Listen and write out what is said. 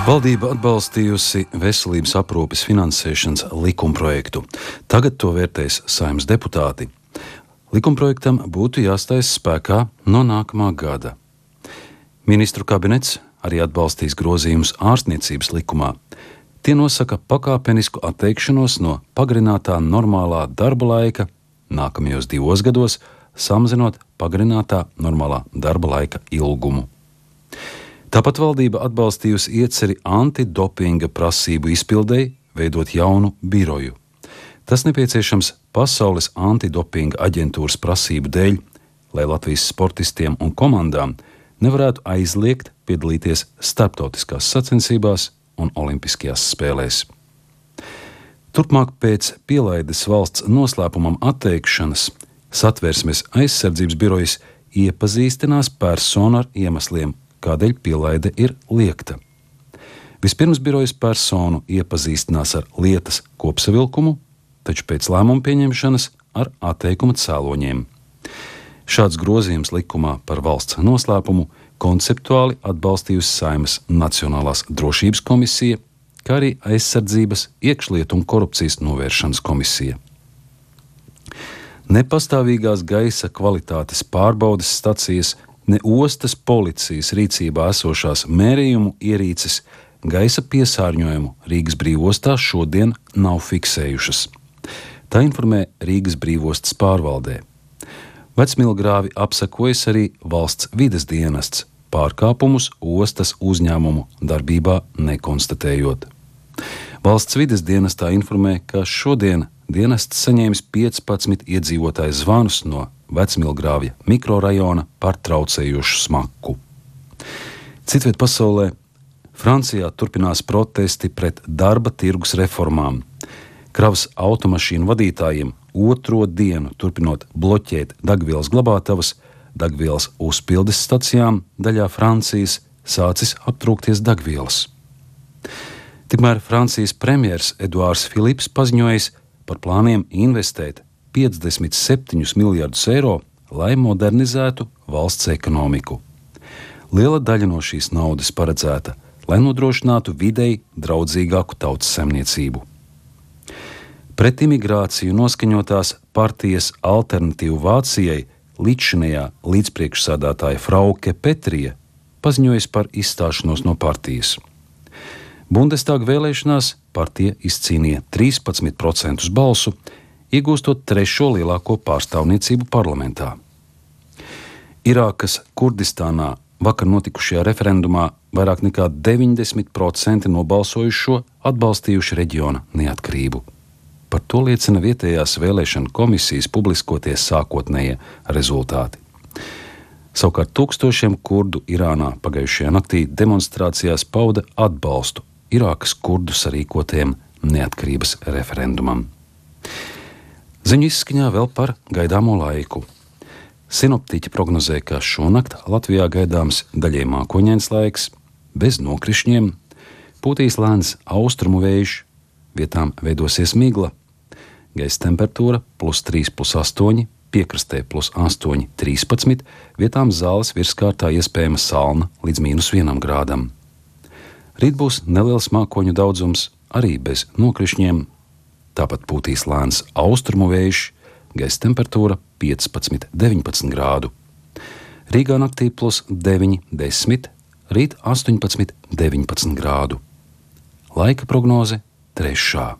Valdība atbalstījusi veselības aprūpes finansēšanas likumprojektu. Tagad to vērtēs Saeimas deputāti. Likumprojektam būtu jāstājas spēkā no nākamā gada. Ministru kabinets arī atbalstīs grozījumus ārstniecības likumā. Tie nosaka pakāpenisku atteikšanos no pagarinātā normālā darba laika nākamajos 2 gados, samazinot pagarinātā normālā darba laika ilgumu. Tāpat valdība atbalstījusi ieceri antidopinga prasību izpildei veidot jaunu biroju. Tas nepieciešams Pasaules antidopinga aģentūras prasību dēļ, lai Latvijas sportistiem un komandām nevarētu aizliegt piedalīties starptautiskās sacensībās un olimpiskajās spēlēs. Turpmāk pēc pielaides valsts noslēpumam atteikšanas Satversmes aizsardzības birojas iepazīstinās personu ar iemesliem, kādēļ pielaide ir liegta. Vispirms birojas personu iepazīstinās ar lietas kopsavilkumu, taču pēc lēmuma pieņemšanas ar atteikuma cēloņiem. Šāds grozījums likumā par valsts noslēpumu konceptuāli atbalstījusi Saeimas Nacionālās drošības komisija, kā arī Aizsardzības, iekšlietu un korupcijas novēršanas komisija. Ne pastāvīgās gaisa kvalitātes pārbaudes stacijas, ne ostas policijas rīcībā esošās mērījumu ierīces gaisa piesārņojumu Rīgas brīvostā šodien nav fiksējušas. Tā informē Rīgas brīvostas pārvaldē. Vecmilgrāvi apsekojas arī valsts vides dienests, pārkāpumus ostas uzņēmumu darbībā nekonstatējot. Valsts vides dienestā informē, ka šodien dienests saņēmis 15 iedzīvotāju zvanus no Vecmilgrāvja mikrorajona par traucējošu smaku. Citviet pasaulē, Francijā turpinās protesti pret darba tirgus reformām. Kravas automašīnu vadītājiem 2. dienu turpinot bloķēt degvielas glabātavas, degvielas uzpildes stacijām daļā Francijas sācis aptrūkties degvielas. Tikmēr Francijas premjers Eduards Filips paziņojis par plāniem investēt 57 miljardus eiro, lai modernizētu valsts ekonomiku. Liela daļa no šīs naudas paredzēta, lai nodrošinātu videi draudzīgāku tautsaimniecību. Pret imigrāciju noskaņotās partijas Alternatīva Vācijai līdzšinējā līdzpriekšsēdētāja Frauke Petrija paziņojas par izstāšanos no partijas. Bundestāga vēlēšanās partija izcīnīja 13% balsu, iegūstot 3. lielāko pārstāvniecību parlamentā. Irākas Kurdistānā vakar notikušajā referendumā vairāk nekā 90% nobalsojušo atbalstījuši reģiona neatkarību. Par to liecina vietējās vēlēšana komisijas publiskotie sākotnējie rezultāti. Savukārt tūkstošiem kurdu Irānā pagājušajā naktī demonstrācijās pauda atbalstu Irākas kurdu sarīkotajam neatkarības referendumam. Ziņu izskaņā vēl par gaidāmo laiku. Sinoptiķi prognozē, ka šonakt Latvijā gaidāms daļai mākoņains laiks, bez nokrišņiem, pūtīs lēns austrumu vējš, vietām veidosies migla, gaisa temperatūra +3, +8, piekrastē +8, 13, vietām Zāles virskārtā iespējama salna līdz -1 grādam. Rīt būs neliels mākoņu daudzums, arī bez nokrišņiem. Tāpat pūtīs lēns austrumu vējš, gaisa temperatūra 15, 19 grādu. Rīgā naktī +9, 10, rīt 18, 19 grādu. Laika prognoze 3.